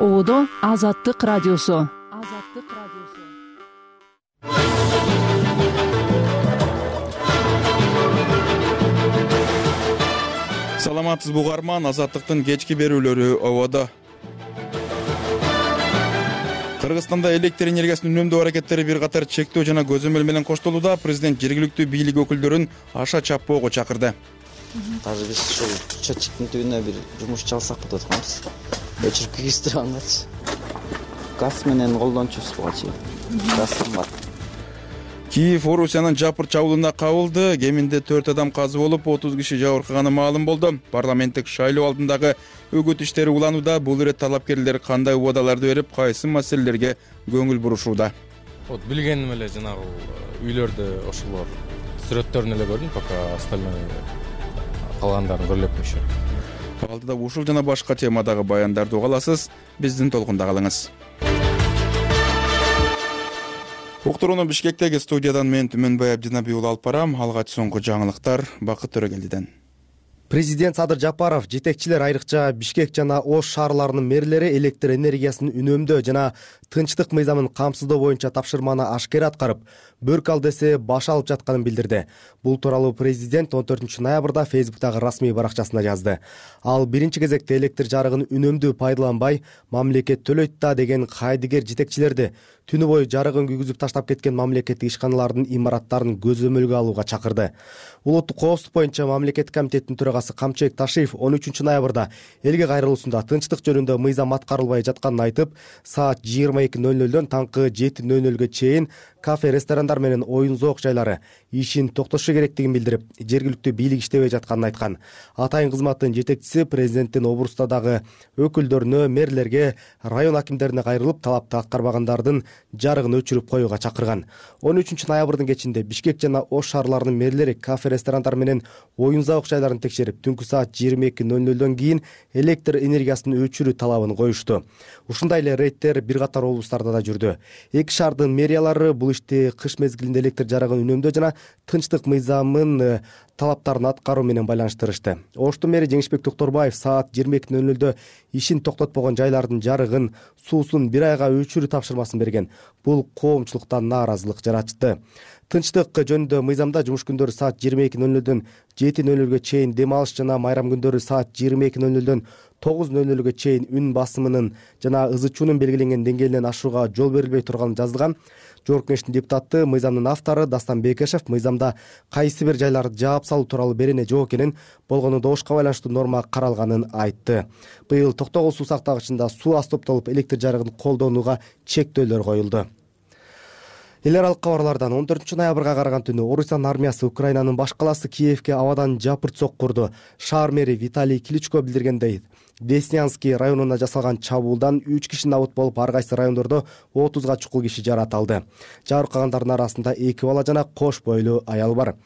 Ободо Азаттык радиосу. Саламатсызбы угарман, Азаттыктын кечки берүүлөрү ободо. Кыргызстанда электр энергиясын үнөмдөө аракеттери бир катар чектөө жана көзөмөл менен коштолууда. Президент жергиликтүү бийлик өкүлдөрүн аша чаппоого чакырды. Азыр биз ушул счетчиктин түбүнө бир жумушчу алсак деп атканбыз. Өчүрүп кийгиздирип алгачы. Газ менен колдончубуз буга чейин. Газ кымбат. Киев Орусиянын жапыр чабуулуна кабылды. Кеминде 4 адам каза болуп, 30 киши жабыркаганы маалым болду. Парламенттик шайлоо алдындагы үгүт иштери уланууда. Бул ирет талапкерлер кандай убадаларды берип, кайсы маселелерге көңүл бурушууда? Билгеним эле жанагы үйлөрдө ошолор сүрөттөрүн эле көрдүм, пока остальной калгандарын көрө элекмиши. Алдыда ушул жана башка темадагы баяндарды уга аласыз. Биздин толкунда калыңыз. Уктурууну Бишкектеги студиядан мен Түмөнбай Абдинабий уулу алып барам. Алгач соңку жаңылыктар Бакыт Төрөгелдиден. Президент Садыр Жапаров жетекчилер, айрыкча Бишкек жана Ош шаарларынын мэрлери электр энергиясын үнөмдөө жана тынчтык мыйзамын камсыздоо боюнча тапшырманы ашкера аткарып, бөрк ал десе баш алып жатканын билдирди. Бул тууралуу президент 14 ноябрда Фейсбуктагы расмий баракчасында жазды. Ал биринчи кезекте электр жарыгын үнөмдүү пайдаланбай, мамлекет төлөйт да деген кайдыгер жетекчилерди түнү бою жарыгын күйгүзүп таштап кеткен мамлекеттик ишканалардын имараттарын көзөмөлгө алууга чакырды. Улуттук коопсуздук боюнча мамлекеттик комитеттин төрагасы Камчыбек Ташиев 13 ноябрда элге кайрылуусунда тынчтык жөнүндө мыйзам аткарылбай жатканын айтып, саат 22:00дөн таңкы 7:00ге чейин кафе, ресторандар менен оюн зоок жайлары ишин токтотушу керектигин билдирип, жергиликтүү бийлик иштебей жатканын айткан. Атайын кызматтын жетекчиси президенттин обрустадагы өкүлдөрүнө, мэрлерге, район акимдерине кайрылып, талапты аткарбагандардын жарыгын өчүрүп коюуга чакырган. 13 ноябрдын кечинде Бишкек жана Ош шаарларынын мэрлери кафе, ресторандар менен оюн зоок жайларын текшерип, түнкү саат 22:00дөн кийин электр энергиясын өчүрүү талабын коюшту. Ушундай эле рейдтер бир катар облустарда да жүрдү. Эки шаардын мэриялары бул ишти кыш мезгилинде электр жарыгын үнөмдөө жана тынчтык мыйзамын талаптарын аткаруу менен байланыштырышты. Оштун мэри Жеңишбек Токторбаев саат 22:00дө ишин токтотпогон жайлардын жарыгын, суусун бир айга өчүрүү тапшырмасын берген. Бул коомчулуктан нааразылык жаратты. Тынчтык жөнүндө мыйзамда жумуш күндөрү саат 22:00дөн 7:00ге чейин, дем алыш жана майрам күндөрү саат 22:00дөн 9:00ге чейин үн басымынын жана ызы чуунун белгиленген деңгээлинен ашууга жол берилбей турганы жазылган. Жогорку Кеңештин депутаты, мыйзамдын автору Дастан Бекешев мыйзамда кайсы бир жайларды жаап салуу тууралуу берене жок экенин, болгону добушка байланыштуу норма каралганын айтты. Быйыл Токтогул суу сактагычында суу аз топтолуп, электр жарыгын колдонууга чектөөлөр коюлду. Эл аралык кабарлардан 14 ноябрга караган түнү Орусиянын армиясы Украинанын баш калаасы Киевке абадан жапырт соккурду. Шаар мэри Виталий Кличко билдиргендей, Деснянский районуна жасалган чабуулдан 3 киши набыт болуп, ар кайсы райондордо 30га чукул киши жарат алды. Жабыркагандардын арасында 2 бала жана кош бойлуу аял бар.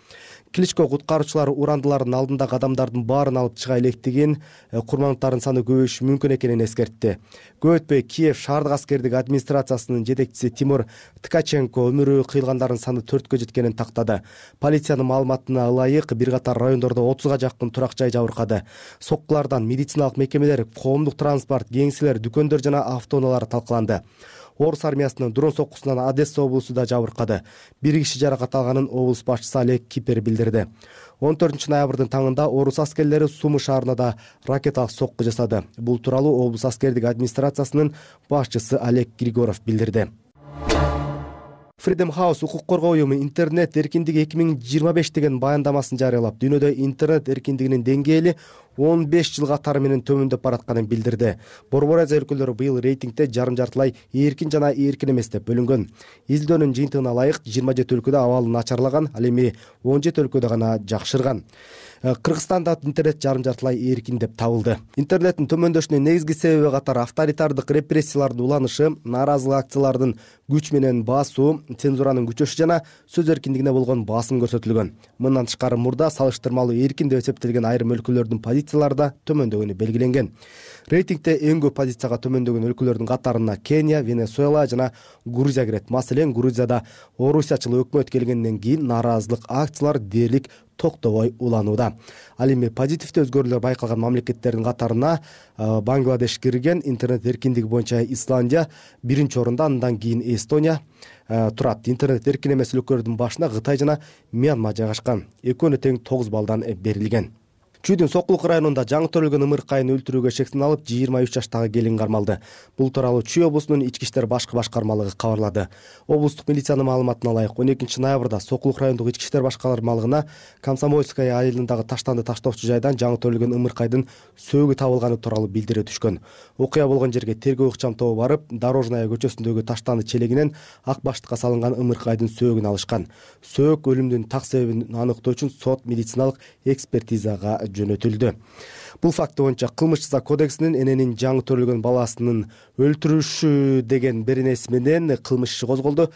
Кличко куткаруучулар урандылардын алдындагы адамдардын баарын алып чыга электигин, курмандардын саны көбөйүшү мүмкүн экенин эскертти. Көп өтпөй Киев шаардык аскердик администрациясынын жетекчиси Тимур Ткаченко өмүрү кыйылгандардын саны 4кө жеткенин тактады. Полициянын маалыматына ылайык, бир катар райондордо 30га жакын турак жай жабыркады. Соккулардан медициналык мекемелер, коомдук транспорт, кеңселер, дүкөндөр жана автоунаалар талкаланды. Орус армиясынын дрон соккусунан Одесса облусу да жабыркады. Бир киши жаракат алганын облус башчысы Олег Кипер билдирди. 14 ноябрдын таңында Орус аскерлери Сумы шаарына да ракеталык сокку жасады. Бул тууралуу облус аскердик администрациясынын башчысы Олег Григоров билдирди. Freedom House укук коргоо уюму интернет эркиндиги 2025 деген баяндамасын жарыялап, дүйнөдө интернет эркиндигинин деңгээли 15 жыл катары менен төмөндөп баратканын билдирди. Борбор Азия өлкөлөрү быйыл рейтингде жарым-жартылай эркин жана эркин эмес деп бөлүнгөн. Изилдөөнүн жыйынтыгына ылайык 27 өлкөдө абалы начарлаган, ал эми 17 өлкөдө гана жакшырган. Кыргызстанда интернет жарым-жартылай эркин деп табылды. Интернеттин төмөндөшүнүн негизги себеби катары авторитардык репрессиялардын уланышы, нааразылык акциялардын күч менен басуу, цензуранын күчөшү жана сөз эркиндигине болгон басым көрсөтүлгөн. Мындан тышкары мурда салыштырмалуу эркин деп эсептелген айрым өлкөлөрдүн позициялары да төмөндөгөнү белгиленген. Рейтингде эң көп позицияга төмөндөгөн өлкөлөрдүн катарына Кения, Венесуэла жана Грузия кирет. Маселен, Грузияда Орусиячыл өкмөт келгенден кийин нааразылык акциялар дээрлик токтобой уланууда. Ал эми позитивдүү өзгөрүүлөр байкалган мамлекеттердин катарына Бангладеш кирген. Интернет эркиндиги боюнча Исландия биринчи орунда, андан кийин Эстония турат. Интернет эркин эмес өлкөлөрдүн башына Кытай жана Мьянма жайгашкан. Экөөнө тең 9 баллдан берилген. Чүйдүн Сокулук районунда жаңы төрөлгөн ымыркайын өлтүрүүгө шек салып 23 жаштагы келин кармалды. Бул тууралуу Чүй облусунун ички иштер башкы башкармалыгы кабарлады. Облустук милициянын маалыматына ылайык 12 ноябрда Сокулук райондук ички иштер башкармалыгына Комсомольская айылындагы таштанды таштоочу жайдан жаңы төрөлгөн ымыркайдын сөөгү табылганы тууралуу билдирүү түшкөн. Окуя болгон жерге тергөө ыкчам тобу барып, Дорожная көчөсүндөгү таштанды челегинен ак баштыкка салынган ымыркайдын сөөгүн алышкан. Сөөк өлүмдүн так себебин аныктоо үчүн сот медициналык экспертизага жөнөтүлдү. Бул факт боюнча кылмыш жаза кодексинин эненин жаңы төрөлгөн баласын өлтүрүшү деген беренеси менен кылмыш иши козголду.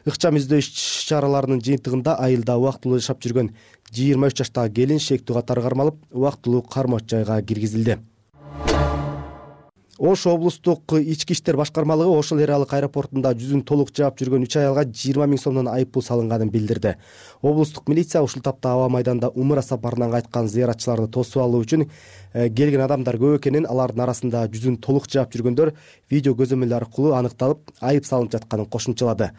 Ыкчам издөө иш-чараларынын жыйынтыгында айылда убактылуу жашап жүргөн 23 жаштагы келин шектүү катары кармалып, убактылуу кармоочу жайга киргизилди. Ош облустук ички иштер башкармалыгы Ошол эр аралык аэропортунда жүзүн толук жаап жүргөн 3 аялга 20 000 сомдон айыппул салынганын билдирди. Облустук милиция ушул тапта аба майданда умра сапарынан кайткан зыяратчыларды тосуп алуу үчүн келген адамдар көп экенин, алардын арасында жүзүн толук жаап жүргөндөр видео көзөмөл аркылуу аныкталып, айып салынып жатканын кошумчалады.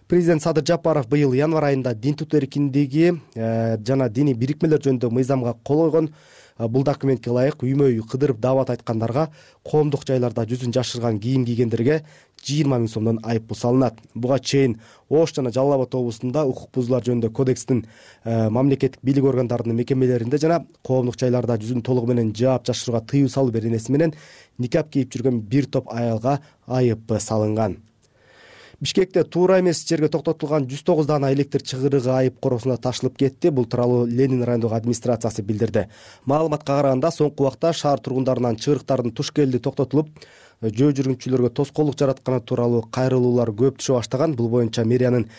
Президент Садыр Жапаров быйыл январь айында дин тутуу эркиндиги жана диний бирикмелер жөнүндө мыйзамга кол койгон. Бул документке ылайык үймө үй кыдырып даават айткандарга, коомдук жайларда жүзүн жашырган кийим кийгендерге 20 000 сомдон айыппул салынат. Буга чейин Ош жана Жалал Абад облусунда укук бузуулар жөнүндө кодекстин мамлекеттик бийлик органдарынын мекемелеринде жана коомдук жайларда жүзүн толугу менен жаап жашырууга тыюу салуу беренеси менен никап кийип жүргөн бир топ аялга айып салынган. Бишкекте туура эмес жерге токтотулган 109 даана электр чыгырыгы айып коросуна ташылып кетти. Бул тууралуу Ленин райондук администрациясы билдирди. Маалыматка караганда, соңку убакта шаар тургундарынан чыгырыктардын тушкелди токтотулуп, жөө жүргүнчүлөргө тоскоолдук жаратканы тууралуу кайрылуулар көп түшө баштаган. Бул боюнча мэриянын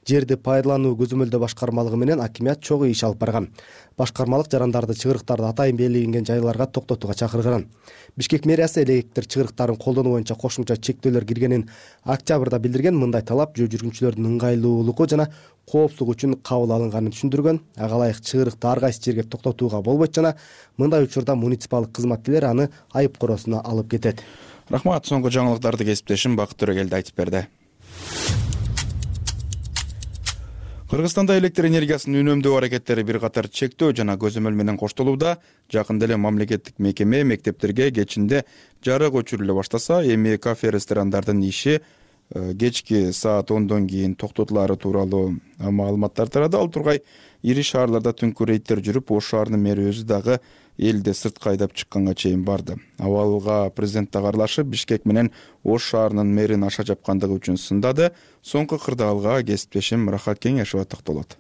жерди пайдалануу көзөмөлдөө башкармалыгы менен акимият чогуу иш алып барган. Башкармалык жарандарды чыгырыктарды атайын белгиленген жайларга токтотууга чакырган. Бишкек мэриясы электр чыгырыктарын колдонуу боюнча кошумча чектөөлөр киргенин октябрда билдирген. Мындай талап жөө жүргүнчүлөрдүн ыңгайлуулугу жана коопсуздугу үчүн кабыл алынганын түшүндүргөн. Ага ылайык чыгырыкты ар кайсы жерге токтотууга болбойт жана мындай учурда муниципалдык кызматкерлер аны айып коросуна алып кетет. Рахмат. Соңку жаңылыктарды кесиптешим Бакыт Төрөгелди айтып берди. Кыргызстанда электр энергиясынын үнөмдөө аракеттери бир катар чектөө жана көзөмөл менен коштолууда. Жакында эле мамлекеттик мекеме мектептерге кечинде жарык өчүрүлө баштаса, эми кафе ресторандардын иши кечки саат 10дон кийин токтотулары тууралуу маалыматтар тарады. Ал тургай ири шаарларда түнкү рейдтер жүрүп, Ош шаарынын мэри өзү дагы элди сыртка айдап чыкканга чейин барды. Абалга президент дагы аралашып, Бишкек менен Ош шаарынын мэрин аша жапкандыгы үчүн сындады. Соңку кырдаалга кесиптешим Рахат Кеңешова токтолот.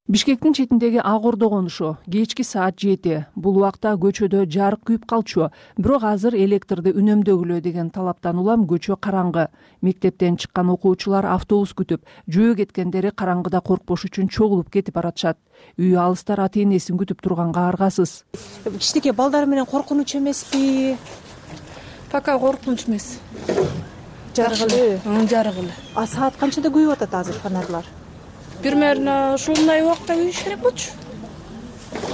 Бишкектин четиндеги Ак Ордо конушу кечки саат 7. Бул убакта көчөдө жарык күйүп калчу. Бирок азыр электрди үнөмдөгүлө деген талаптан улам көчө караңгы. Мектептен чыккан окуучулар автобус күтүп, жөө кеткендери караңгыда коркпош үчүн чогулуп кетип баратышат. Үй алыстар ата-энесин күтүп турганга аргасыз. Кичинекей балдар менен коркунуч эмеспи? Пока коркунуч эмес. Жарык эле. Жарык эле. А саат канчада күйүп атат азыр фонарлар? Примерно ушундай убакта күйүш керек болчу.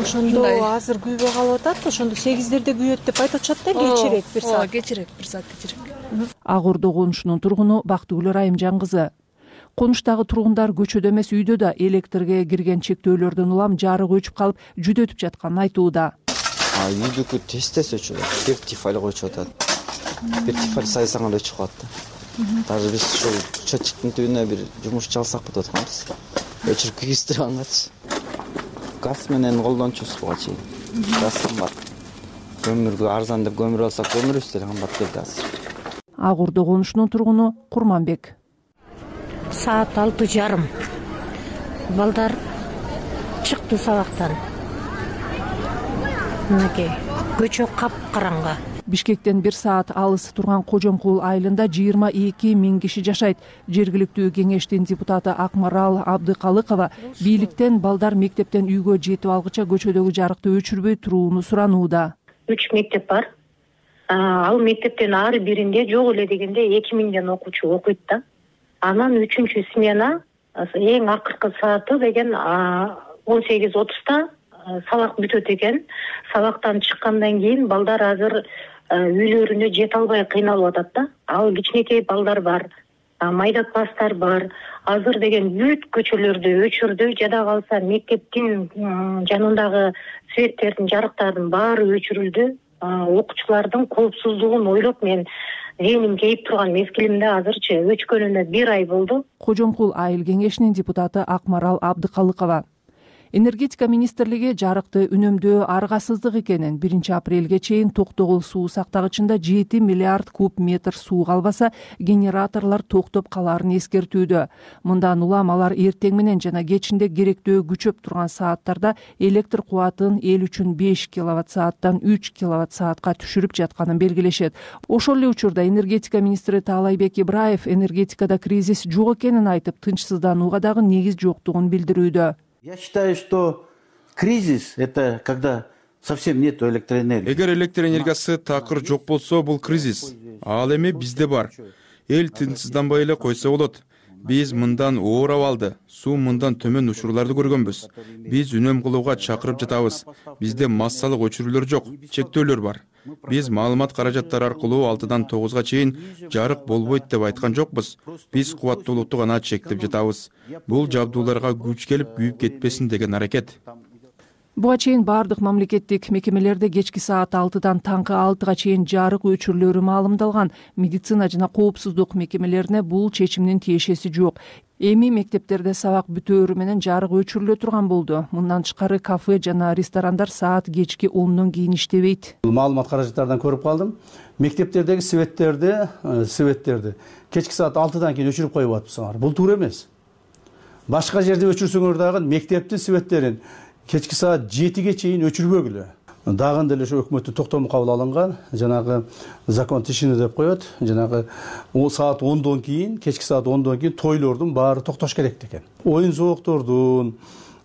Ошондо азыр күйбөй калып атат. Ошондо 8дерде күйөт деп айтып атышат да, кечирээк бир саат. Кечирээк, бир саат кечирээк. Ак Ордо конушунун тургуну Бактыгүл Райымжан кызы. Конуштагы тургундар көчөдө эмес үйдө да электрге кирген чектөөлөрдөн улам жарык өчүп калып, жүдөтүп жатканын айтууда. Үйдүкү тез өчүп атат. Бир тифаль өчүп атат. Бир тифаль сайсаңар өчүп калат да. Даже биз ушул счетчиктин түбүнө бир жумуш чалсак деп атканбыз. Өчүрүп кийгизтирип алганчы. Газ менен колдончубуз буга чейин. Газ кымбат. Көмүргө арзан деп көмүр алсак, көмүрүбүз деле кымбат келди азыр. Ак Ордо конушунун тургуну Курманбек. Саат 6:30. Балдар чыкты сабактан. Мынакей көчө капкараңгы. Бишкектен бир саат алыс турган Кожомкул айылында 22 000 киши жашайт. Жергиликтүү кеңештин депутаты Акмарал Абдыкалыкова бийликтен балдар мектептен үйгө жетип алгыча көчөдөгү жарыкты өчүрбөй турууну суранууда. 3 мектеп бар. Ал мектептен ары биринде жок эле дегенде 2000ден окуучу окуйт да. Анан 3-смена эң акыркы сааты деген 18:30 сабак бүтөт экен. Сабактан чыккандан кийин балдар азыр үйлөрүнө жете албай кыйналып атат да. Ал кичинекей балдар бар, майда класстар бар. Азыр деген бүт көчөлөрдү өчүрдү, жада калса мектептин жанындагы светтердин, жарыктардын баары өчүрүлдү. Окуучулардын коопсуздугун ойлоп мен зээним кейип турган мезгилимде азырчы өчкөнүнө 1 ай болду. Кожомкул айыл кеңешинин депутаты Акмарал Абдыкалыкова. Энергетика министрлиги жарыкты үнөмдөө аргасыздык экенин, 1 апрелге чейин Токтогул суу сактагычында 7 миллиард куб метр суу калбаса, генераторлор токтоп калаарын эскертүүдө. Мындан улам алар эртең менен жана кечинде керектөө күчөп турган сааттарда электр кубатын эл үчүн 5 киловатт сааттан 3 киловатт саатка түшүрүп жатканын белгилешет. Ошол эле учурда энергетика министри Таалайбек Ибраев энергетикада кризис жок экенин айтып, тынчсызданууга дагы негиз жоктугун билдирүүдө. Я считаю, что кризис — это когда совсем нет электроэнергии. Эгер электр энергиясы такыр жок болсо, бул кризис. Ал эми бизде бар. Эл тынчсызданбай эле койсо болот. Биз мындан оор абалды, суу мындан төмөн учурларды көргөнбүз. Биз үнөм кылууга чакырып жатабыз. Бизде массалык өчүрүүлөр жок, чектөөлөр бар. Биз маалымат каражаттары аркылуу 6-дан 9-га чейин жарык болбойт деп айткан жокпуз. Биз кубаттуулукту гана чектеп жатабыз. Бул жабдууларга күч келип күйүп кетпесин деген аракет. Буга чейин бардык мамлекеттик мекемелерде кечки саат 6-дан таңкы 6-га чейин жарык өчүрүлөрү маалымдалган. Медицина жана коопсуздук мекемелерине бул чечимдин тиешеси жок. Эми мектептерде сабак бүтөөрү менен жарык өчүрүлө турган болду. Мындан тышкары кафе жана ресторандар саат кечки 10-дон кийин иштебейт. Маалымат каражаттардан көрүп калдым. Мектептердеги светтерди кечки саат 6-дан кийин өчүрүп коюп атпсыңар. Бул туура эмес. Башка жерде өчүрсөңөр дагы мектептин светтерин кечки саат 7-ге чейин өчүрбөгүлө. Дагы деле ошо өкмөттүн токтому кабыл алынган, жанагы закон тишини деп коет, жанагы саат 10-дон кийин, кечки саат 10-дон кийин тойлордун баары токтош керек экен. Оюн зооктордун,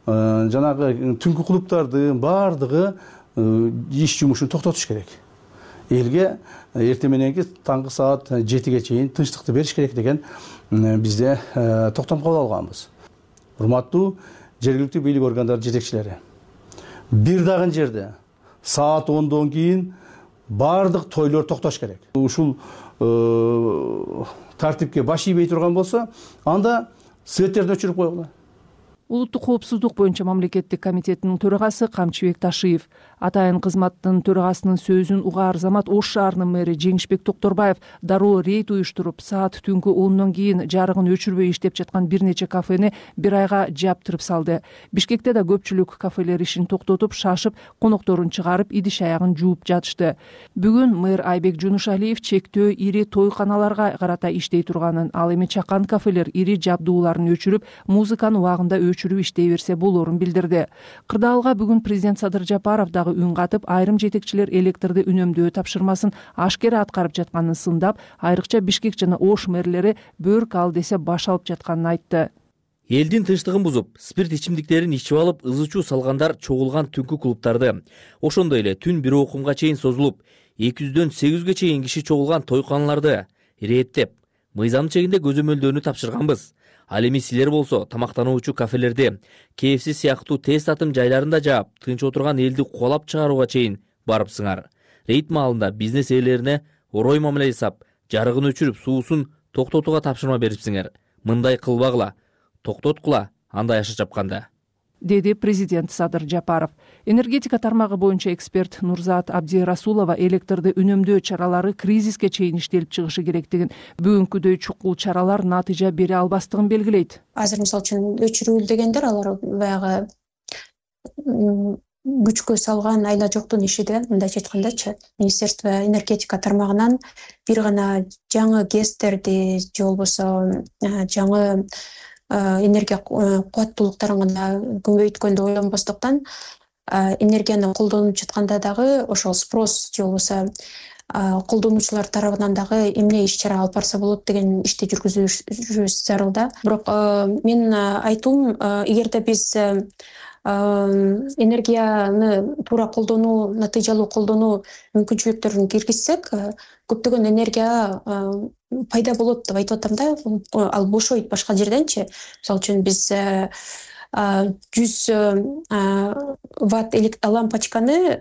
жанагы түнкү клубтардын баардыгы иш жумушун токтотуш керек. Элге эртең мененки таңкы саат 7-ге чейин тынчтыкты бериш керек деген бизде токтом кабыл алганбыз. Урматтуу жергиликтүү бийлик органдары жетекчилери, бир дагы жерде саат 10-дон кийин баардык тойлор токтош керек. Ушул тартипке баш ийбей турган болсо, анда светтерди өчүрүп койгула. Улуттук коопсуздук боюнча мамлекеттик комитетинин төрагасы Камчыбек Ташиев, атайын кызматтын төрагасынын сөзүн угаар замат Ош шаарынын мэри Жеңишбек Токторбаев дароо рейд уюштуруп, саат түнкү 10-дон кийин жарыгын өчүрбөй иштеп жаткан бир нече кафени 1 айга жаптырып салды. Бишкекте да көпчүлүк кафелер ишин токтотуп, шашып, конокторун чыгарып, идиш аягын жууп жатышты. Бүгүн мэр Айбек Жунушалиев чектөө ири тойканаларга карата иштей турганын, ал эми чакан кафелер ири жабдууларын өчүрүп, музыканы убагында өчүрүп иштей берсе болорун билдирди. Кырдаалга бүгүн президент Садыр Жапаров дагы үн катып, айрым жетекчилер электрди үнөмдөө тапшырмасын ашкера аткарып жатканын сындап, айрыкча Бишкек жана Ош мэрлери бөрк ал десе баш алып жатканын айтты. Элдин тынчтыгын бузуп, спирт ичимдиктерин ичип алып, ызычуу салгандар чогулган түнкү клубтарды, ошондой эле түн 1 окумга чейин созулуп, 200-дөн 800ге чейин киши чогулган тойканаларды реттеп, мыйзам чегинде көзөмөлдөөнү тапшырганбыз. Ал эми силер болсо тамактануучу кафелерди, KFC сыяктуу тез татым жайларында жаап, тынч отурган элди куалап чыгарууга чейин барыпсыңар. Рейд маалында бизнес ээлерине орой мамиле жасап, жарыгын өчүрүп, суусун токтотууга тапшырма берипсиңер. Мындай кылбагыла, токтоткула, андай аша чапканда, деди президент Садыр Жапаров. Энергетика тармагы боюнча эксперт Нурзат Абдирасулова электрди үнөмдөө чаралары кризиске чейин иштелип чыгышы керектигин, бүгүнкүдөй чукул чаралар натыйжа бере албастыгын белгилейт. Азыр мисалы үчүн өчүрүүл дегендер алар баягы күчкө салган айла жоктун иши деген, мындайча айткандачы, Министерство энергетика тармагынан бир гана жаңы ГЭСтерди же болбосо жаңы энергия кубаттуулуктарын гана көбөйткөндү ойлонбостуктан, энергияны колдонуп жатканда дагы ошол спрос же болбосо колдонуучулар тарабынан дагы эмне иш чара алып барса болот деген ишти жүргүзүш зарыл да. Бирок менин айтуум, эгерде биз энергияны туура колдонуу, натыйжалуу колдонуу мүмкүнчүлүктөрүн киргизсек, көптөгөн энергия пайда болот деп айтып атам да. Ал бошойт башка жерденчи. Мисалы үчүн биз 100 ватт лампочканы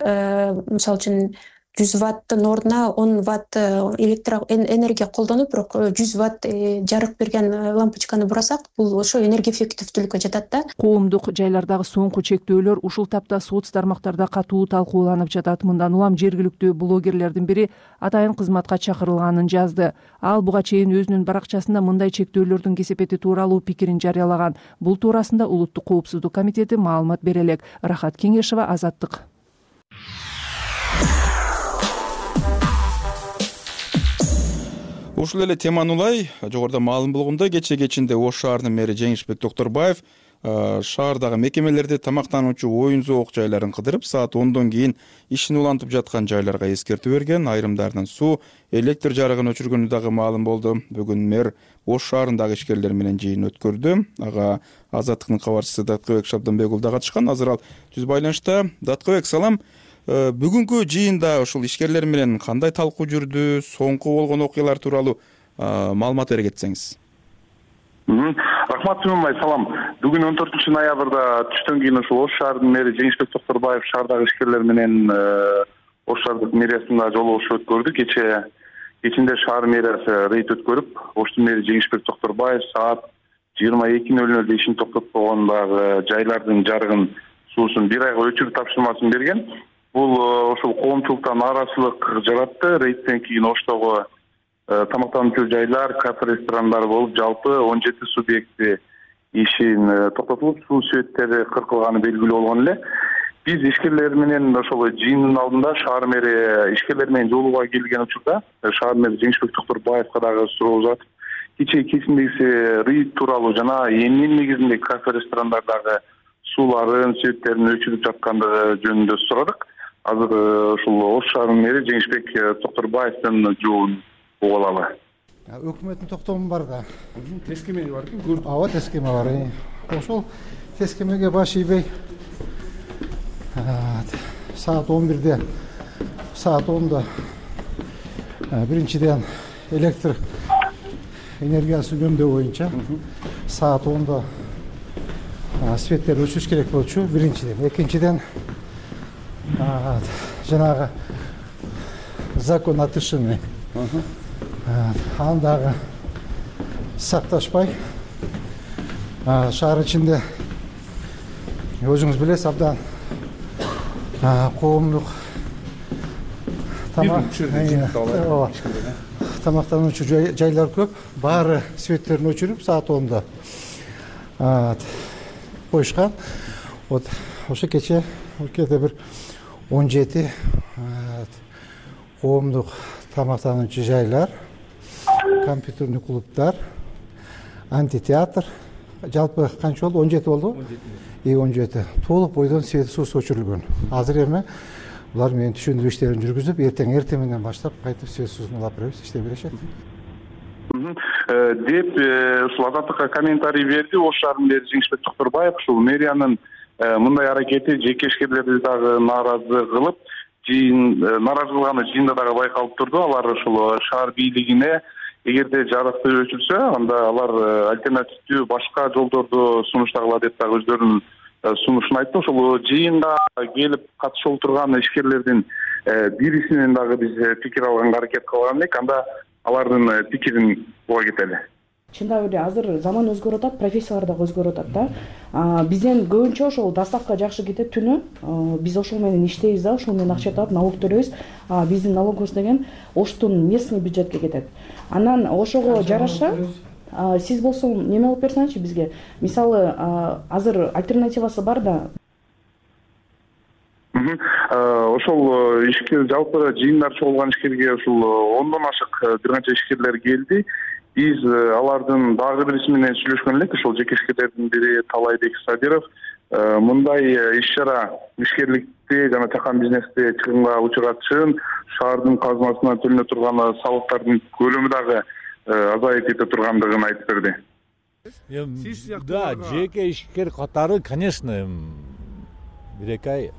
мисалы үчүн 100 ватттын ордуна 10 ватт энергия колдонуп, бирок 100 ватт жарык берген лампочканы бурасак, бул ошо энергия эффективдүүлүккө жатат да. Коомдук жайлардагы соңку чектөөлөр ушул тапта соц тармактарда катуу талкууланып жатат. Мындан улам жергиликтүү блогерлердин бири атайын кызматка чакырылганын жазды. Ал буга чейин өзүнүн баракчасында мындай чектөөлөрдүн кесепети тууралуу пикирин жарыялаган. Бул туурасында Улуттук коопсуздук комитети маалымат бере элек. Рахат Кеңешева, Азаттык. Ушул эле теманы улай жогоруда маалым болгондой, кечинде Ош шаарынын мэри Жеңишбек Токторбаев шаардагы мекемелерде тамактануучу оюн-зоок жайларын кыдырып, саат 10дон кийин ишин улантып жаткан жайларга эскертүү берген. Айрымдарынын суу, электр жарыгын өчүргөнү дагы маалым болду. Бүгүн мэр Ош шаарындагы ишкерлер менен жыйын өткөрдү. Ага Азаттыктын кабарчысы Даткыбек Шабданбек уулу да катышкан. Азыр ал түз байланышта. Даткыбек, салам. Бүгүнкү жыйында ушул ишкерлер менен кандай талкуу жүрдү? Соңку болгон окуялар тууралуу маалымат бере кетсеңиз. Рахмат Сүймөнбай, салам. Бүгүн 14-ноябрда түштөн кийин ушул Ош шаарынын мэри Жеңишбек Токторбаев шаардагы ишкерлер менен Ош шаардык мэриясында жолугушуу өткөрдү. Кечинде шаар мэриясы рейд өткөрүп, Оштун мэри Жеңишбек Токторбаев саат 22:00 ишин токтоткон дагы жайлардын жарыгын, суусун бир айга өчүрүү тапшырмасын берген. Бул ошол коомчулукта нааразычылык жаратты. Рейдтен кийин Оштогу тамактануучу жайлар, кафе, ресторандар болуп, жалпы 17 субъекти ишин токтотулуп, суу светтери кыркылганы белгилүү болгон эле. Биз ишкерлер менен ошол жыйындын алдында шаар мэри ишкерлер менен жолугууга келген учурда шаар мэри Жеңишбек Токторбаевга дагы суроо uzatып, кечиндеги рейд тууралуу жана эмне негизинде кафе, ресторандардагы сууларын, светтерин өчүрүп жаткандыгы жөнүндө сурадык. Азыр ушул Ош шаарынын мэри Жеңишбек Токторбаевдин жообун угуп алалы. Өкмөттүн токтому бар да. Тескемеги бар экен, көрдүк. Ооба, тескеме бар. Ошол тескемеге баш ийбей саат 11-де, саат 10-да биринчиден электр энергиясын үнөмдөө боюнча саат 10-да светтерди өчүрүш керек болчу, биринчиден. Экинчиден жанагы закон атышыны андагы сакташпай, шаар ичинде өзүңүз билесиз, абдан коомдук тамактануучу жайлар көп. Баары светтерин өчүрүп, саат 10-да коюшкан. Вот ошо кече бир 17 коомдук тамактануучу жайлар, компьютерный клубдар, антитеатр, жалпы канча болду? 17 болду. 17 толук бойдон свет суусу өчүрүлгөн. Азыр эми булар менен түшүндүрүү иштерин жүргүзүп, эртең менен баштап кайтып свет суусун улап беребиз, иштей беришет. Деп ушул Азаттыкка комментарий берди Ош шаарынын мэри Жеңишбек Токторбаев. Ушул мэриянын мындай аракети жеке ишкерлерди дагы нааразы кылып, нааразы кылганы жыйында дагы байкалып турду. Алар ушул шаар бийлигине эгерде жарыкты өчүрсө, анда алар альтернативдүү башка жолдорду сунуштагыла деп дагы өздөрүнүн сунушун айтты. Ошол жыйында келип катышып турган ишкерлердин бирисинен дагы биз пикир алганга аракет кылган элек. Анда алардын пикирин уга кетели. Чындап эле азыр заман өзгөрүп атат, профессиялар дагы өзгөрүп атат да. Бизден көбүнчө ошол доставка жакшы кетет түнү. Биз ошол менен иштейбиз да, ошол менен акча таап налог төлөйбүз. Биздин налогубуз деген Оштун местный бюджетке кетет. Анан ошого жараша сиз болсо неме алып берсеңизчи бизге. Мисалы, азыр альтернативасы бар да. Ошол ишкер жалпы жыйындар чогулган ишкерге ушул 10дон ашык бир канча ишкерлер келди. Биз алардын дагы бириси менен сүйлөшкөн элек. Ошол жеке ишкерлердин бири Талайбек Сабиров мындай иш-чара ишкерликти жана чакан бизнести чыгымга учуратышын, шаардын казынасынан төлөнө турган салыктардын көлөмү дагы азайып кете тургандыгын айтып берди. Да, жеке ишкер катары, конечно, 1-2 ай.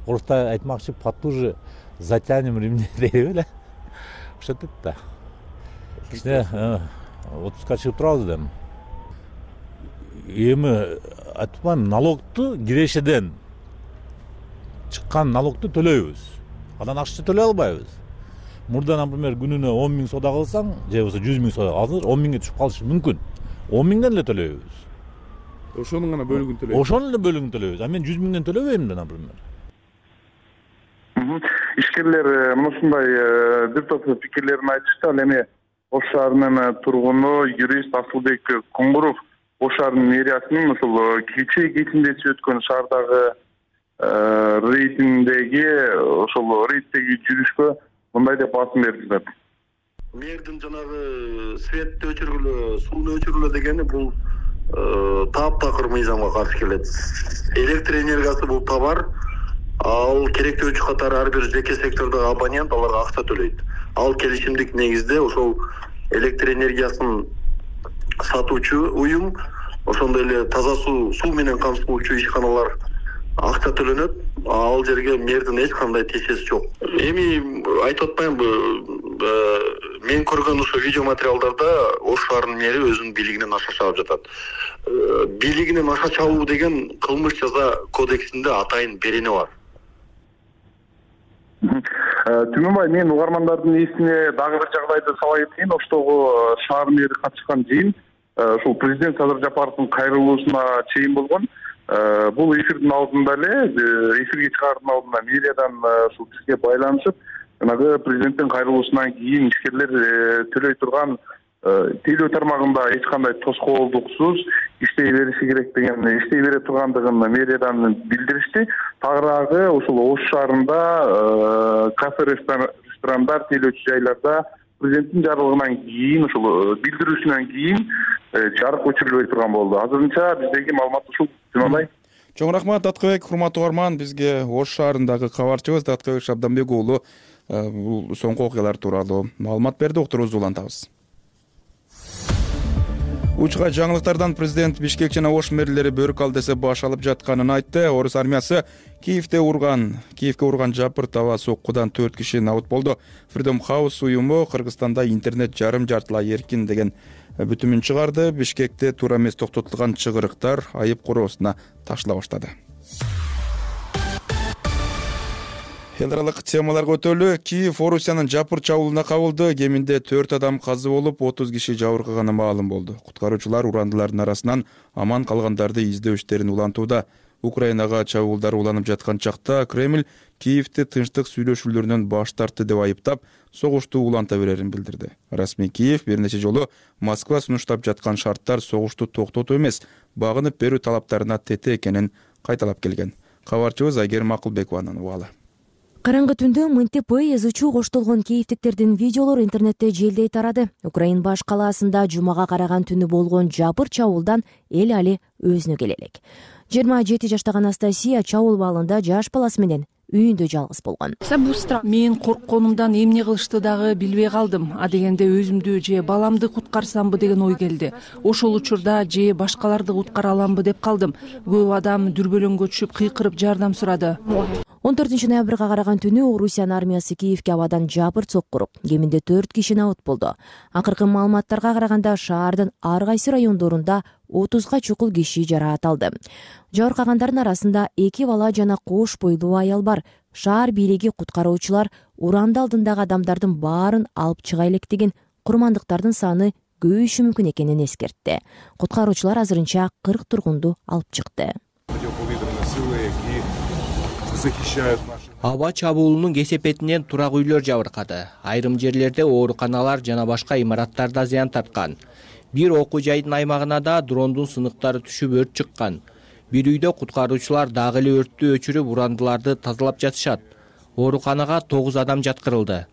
Оруста айтмакчы, потуже затянем ремни дейт эле. Ошентет да. Кичине отпускка чыгып турабыз да. Эми айтпайм, налогду кирешеден чыккан налогду төлөйбүз. Анан акча төлөй албайбыз. Мурда, например, күнүнө 10 000 соода кылсаң, же болбосо 100 000 соода кылсаң, 10 000ге түшүп калышы мүмкүн. 10 000ден эле төлөйбүз. Ошонун гана бөлүгүн төлөйбүз. Ошонун эле бөлүгүн төлөйбүз. А мен 100 000ден төлөбөйм да, например. Ишкерлер мынушундай бир топ пикирлерин айтышты. Ал эми Ош шаарынын тургуну, юрист Асылбек Куңгуров Ош шаарынын мэриясынын ушул кечинде өткөн шаардагы рейтингдеги жүрүшкө мындай деп басым берди. Мэрдин жанагы светти өчүргүлө, сууну өчүргүлө дегени бул таптакыр мыйзамга каршы келет. Электр энергиясы бул товар, ал керектөөчү катары ар бир жеке сектордогу абонент аларга акча төлөйт. Ал келишимдик негизде ошол электр энергиясын сатуучу уюм, ошондой эле таза суу менен камсыздоочу ишканалар акча төлөнөт. Ал жерге мэрдин эч кандай тиешеси жок. Эми айтып атпаймынбы, мен көргөн ошо видео материалдарда Ош шаарынын мэри өзүнүн бийлигинен аша чабып жатат. Бийлигинен аша чабуу деген кылмыш жаза кодексинде атайын берене бар. Түмөнбай, мен угармандардын эсине дагы бир жагдайды сала кетейин. Оштогу шаар мэри катышкан жыйын ушул президент Садыр Жапаровдун кайрылуусуна чейин болгон. Бул эфирдин алдында эле, эфирге чыгаардын алдында мэриядан ушул бизге байланышып, жанагы президенттин кайрылуусунан кийин ишкерлер төлөй турган тейлөө тармагында эч кандай тоскоолдуксуз иштей бериши керек деген, иштей бере тургандыгын мэриядан билдиришти. Тагыраагы ушул Ош шаарында кафе, ресторандар, тейлөөчү жайларда президенттин жарлыгынан кийин, ушул билдирүүсүнөн кийин жарык өчүрүлбөй турган болду. Азырынча биздеги маалымат ушул. Түмөнбай. Чоң рахмат Даткыбек, урматтуу угарман. Бизге Ош шаарындагы кабарчыбыз Даткыбек Шабданбек уулу бул соңку окуялар тууралуу маалымат берди. Уктурубузду улантабыз. Учка жаңылыктардан президент Бишкек жана Ош мэрлери бөрк алдесе баш алып жатканын айтты. Орус армиясы Киевке урган жапыр таба соккудан 4 киши набыт болду. Freedom House уюму Кыргызстанда интернет жарым-жартылай эркин деген бүтүмүн чыгарды. Бишкекте туура эмес токтотулган чыгырыктар айып короосуна ташыла баштады. Эл аралык темаларга өтөлү. Киев Орусиянын жапыр чабуулуна кабылды. Кеминде 4 адам казы болуп, 30 киши жабыркаганы маалым болду. Куткаруучулар урандылардын арасынан аман калгандарды издөө иштерин улантууда. Украинага чабуулдар уланып жаткан чакта Кремль Киевти тынчтык сүйлөшүүлөрүнөн баш тартты деп айыптап, согушту уланта берерин билдирди. Расмий Киев бир нече жолу Москва сунуштап жаткан шарттар согушту токтотуу эмес, багынып берүү талаптарына тете экенин кайталап келген. Кабарчыбыз Айгерим Акылбекованын убалы. Караңгы түндө МНТП язуучу коштолгон киевтиктердин видеолору интернетте желдей тарады. Украин баш калаасында жумага караган түнү болгон жапыр чабуулдан эл али өзүнө келе элек. 27 жаштагы Анастасия чабуул балында жаш баласы менен үйүндө жалгыз болгон. Мен коркконумдан эмне кылышты дагы билбей калдым. А дегенде өзүмдү же баламды куткарсамбы деген ой келди. Ошол учурда же башкаларды куткара аламбы деп калдым. Көп адам дүрбөлөңгө түшүп кыйкырып жардам сурады. 14 ноябрга караган түнү Орусиянын армиясы Киевке абадан жапыр соккуруп, кеминде 4 киши набыт болду. Акыркы маалыматтарга караганда шаардын ар кайсы райондорунда 30га чукул киши жараат алды. Жабыркагандардын арасында 2 бала жана кош бойлуу аял бар. Шаар бийлиги куткаруучулар уранды алдындагы адамдардын баарын алып чыга элек деген курмандыктардын саны көбөйүшү мүмкүн экенин эскертти. Куткаруучулар азырынча 40 тургунду алып чыкты. Аба чабуулунун кесепетинен турак үйлөр жабыркады. Айрым жерлерде ооруканалар жана башка имараттарда зыян тарткан. Бир окуу жайдын аймагына да дрондун сыныктары түшүп өрт чыккан. Бир үйдө куткаруучулар дагы эле өрттү өчүрүп урандыларды тазалап жатышат. Ооруканага 9 адам жаткырылды.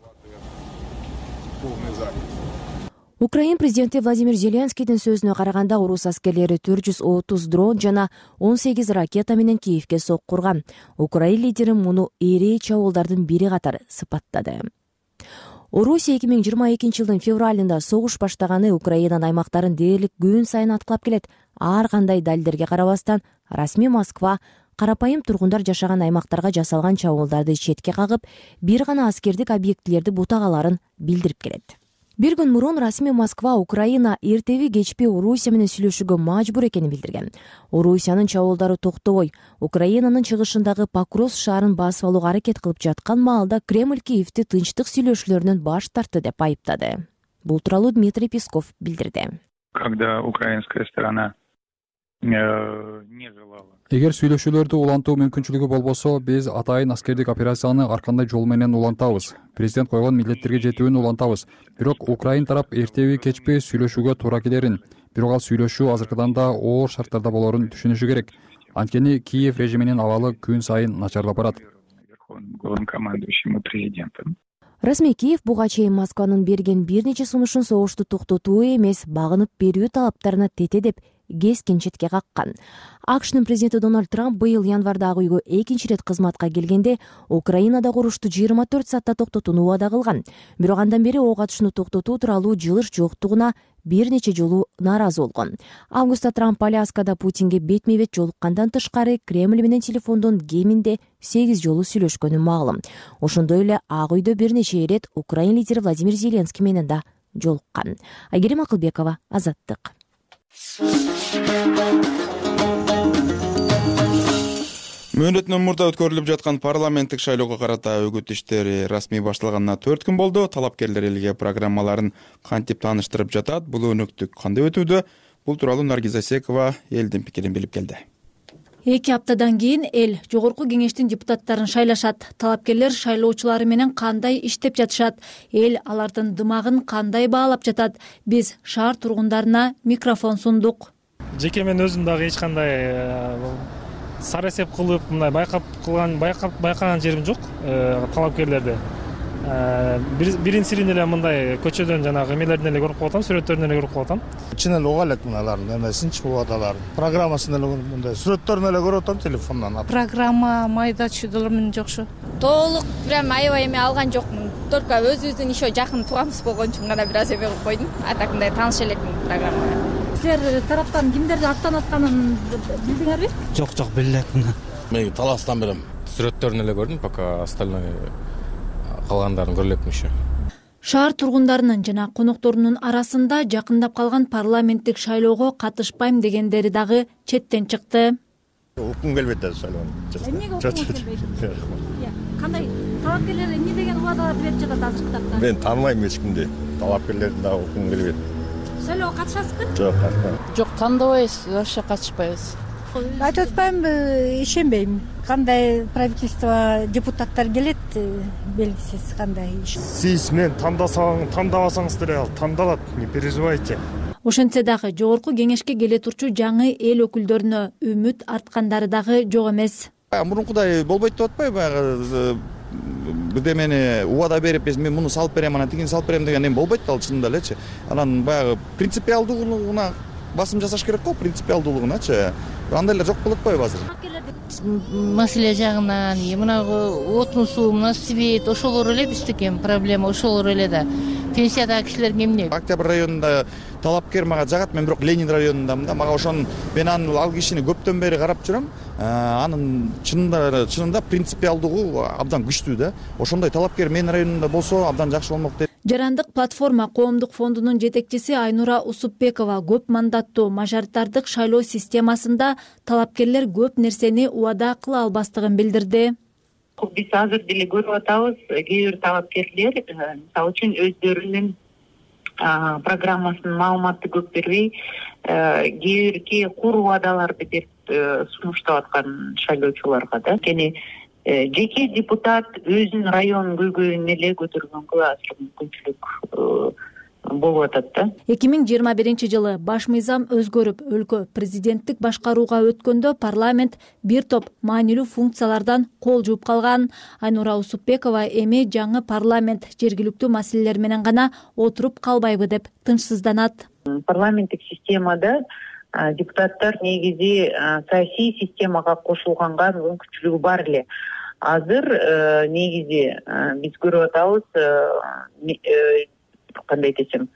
Украин президенти Владимир Зеленскийдин сөзүнө караганда орус аскерлери 430 дрон жана 18 ракета менен Киевке соккурган. Украин лидери муну эри чабуулдардын бири катары сыпаттады. Орусия 2022 жылдын февралында согуш баштаганы Украинанын аймактарын дээрлик күн сайын аткылап келет. Ар кандай далилдерге карабастан, расмий Москва карапайым тургундар жашаган аймактарга жасалган чабуулдарды четке кагып, бир гана аскердик объектилерди бутагаларын билдирип келет. Бир күн мурун расмий Москва Украина эртеби кечпи Орусия менен сүйлөшүүгө мажбур экенин билдирген. Орусиянын чабуулдары токтобой, Украинанын чыгышындагы Покровск шаарын басып алууга аракет кылып жаткан маалда Кремль Киевти тынчтык сүйлөшүүлөрүнөн баш тартты деп айыптады. Бул тууралуу Дмитрий Песков билдирди. Когда украинская сторона не желала. Эгер сүйлөшүүлөрдү улантуу мүмкүнчүлүгү болбосо, биз атайын аскердик операцияны ар кандай жол менен улантабыз. Президент койгон милдеттерге жетүүнү улантабыз. Бирок Украин тарап эртеби кечпи сүйлөшүүгө туура келерин, бирок ал сүйлөшүү азыркыдан да оор шарттарда болорун түшүнүшү керек. Анткени Киев режиминин абалы күн сайын начарлап барат. Главнокомандующему президентом. Расмий Киев буга чейин Москванын берген бир нече сунушун согушту токтотуу эмес, багынып берүү талаптарына тете деп кескин четке каккан. АКШнын президенти Дональд Трамп быйыл январда ак үйгө экинчи ирет кызматка келгенде Украинада урушту 24 саатта токтотууну убада кылган. Бирок андан бери ок атышууну токтотуу тууралуу жылыш жоктугуна бир нече жолу нааразы болгон. Августта Трамп Аляскада Путинге бетме-бет жолуккандан тышкары Кремль менен телефондон кеминде 8 жолу сүйлөшкөнү маалым. Ошондой эле ак үйдө бир нече ирет Украин лидери Владимир Зеленский менен да жолуккан. Айгерим Акылбекова, Азаттык. Мөөнөтүнөн мурда өткөрүлүп жаткан парламенттик шайлоого карата үгүт иштери расмий башталганына 4 күн болду. Талапкерлер элге программаларын кантип тааныштырып жатат, бул өнөктүк кандай өтүүдө? Бул тууралуу Наргиз Асекова элдин пикирин билип келди. 2 аптадан кийин эл жогорку кеңештин депутаттарын шайлашат. Талапкерлер шайлоочулары менен кандай иштеп жатышат? Эл алардын дымагын кандай баалап жатат? Биз шаар тургундарына микрофон сундук. Жеке мен өзүм дагы эч кандай сара эсеп кылып, мындай байкаган жерим жок талапкерлерди. Бирин сирин эле мындай көчөдөн жанагы эмелерден эле көрүп калатам, сүрөттөрүнөн эле көрүп калатам. Чын эле уга элек мыналардын эмесинчи убадаларын. Программасын эле мындай сүрөттөрүн эле көрүп атам телефондон. Программа майда чүйдөлөрүм жокшу. Толук прям аябай эме алган жокмун. Только өзүбүздүн еще жакын тууганыбыз болгон үчүн гана бир аз эме кылып койдум. А так мындай тааныш элекмин программага. Силер тараптан кимдерди аттанып атканын билдиңерби? Жок, биле элекмин. Мен таластан берем. Сүрөттөрүн эле көрдүм, пока остальной калгандарын көрө элекмин еще. Шаар тургундарынын жана конокторунун арасында жакындап калган парламенттик шайлоого катышпайм дегендери дагы четтен чыкты. Уккум келбейт да шайлоого. Эмнеге уккум келбейт? Кандай талапкерлер эмне деген убадаларды берип жатат азыркы тапта? Мен тааныбайм эч кимди. Талапкерлердин дагы уккум келбейт. Шайлоого катышасызбы? Жок, катышпайм. Жок, тандабайбыз, вообще катышпайбыз. Айтып атпаймынбы, ишенбейм. Кандай правительство депутаттар келет, белгисиз кандай иш. Сиз мен тандабасаңыз деле ал тандалат, не переживайте. Ошентсе дагы жогорку кеңешке келе турчу жаңы эл өкүлдөрүнө үмүт арткандары дагы жок эмес. Мурункудай болбойт деп атпайбы, баягы бирдемени убада берип, мен муну салып берем, анан тигини салып берем деген эме болбойт да, ал чынында элечи. Анан баягы принципиалдуулугуна басым жасаш керек го, принципиалдуулугуначы. Андайлар жок болуп атпайбы азыр? Маселе жагынан, мынагы отун суу, мына свет, ошолор эле биздики проблема, ошолор эле да. Пенсиядагы кишилерге эмне? Октябрь районунда талапкер мага жагат, мен бирок Ленин районундамын да. Мага ошон мен ал кишини көптөн бери карап жүрөм. Анын чынында принципиалдыгы абдан күчтүү да. Ошондой талапкер менин районумда болсо абдан жакшы болмок дейм. Жарандык платформа коомдук фондунун жетекчиси Айнура Усупбекова көп мандаттуу мажоритардык шайлоо системасында талапкерлер көп нерсени убада кыла албастыгын билдирди. Биз азыр деле көрүп атабыз, кээ бир талапкерлер мисалы үчүн өздөрүнүн программасынын маалыматты көп бербей, кээ бирки кур убадаларды берип сунуштап аткан шайлоочуларга да. Анткени жеке депутат өзүнүн районун көйгөйүн эле көтөргөнгө азыр мүмкүнчүлүк болуп атат да. 2021 жылы баш мыйзам өзгөрүп, өлкө президенттик башкарууга өткөндө парламент бир топ маанилүү функциялардан кол жууп калган. Айнура Усупбекова эми жаңы парламент жергиликтүү маселелер менен гана отуруп калбайбы деп тынчсызданат. Парламенттик системада депутаттар негизи саясий системага кошулганга мүмкүнчүлүгү бар эле. Азыр негизи биз көрүп атабыз, кандай десем,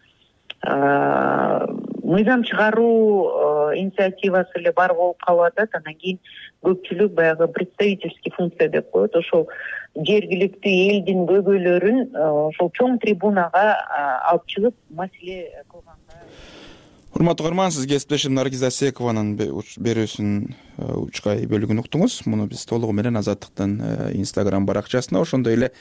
мыйзам чыгаруу инициативасы эле бар болуп калып атат. Анан кийин көпчүлүк баягы представительский функция деп коет, ошол жергиликтүү элдин көйгөйлөрүн ошол чоң трибунага алып чыгып маселе кылганга. Урматтуу угарман, сиз кесиптешим Наргиз Асекованын берүүсүнүн учкай бөлүгүн уктуңуз. Муну биз толугу менен Азаттыктын Instagram баракчасына, ошондой эле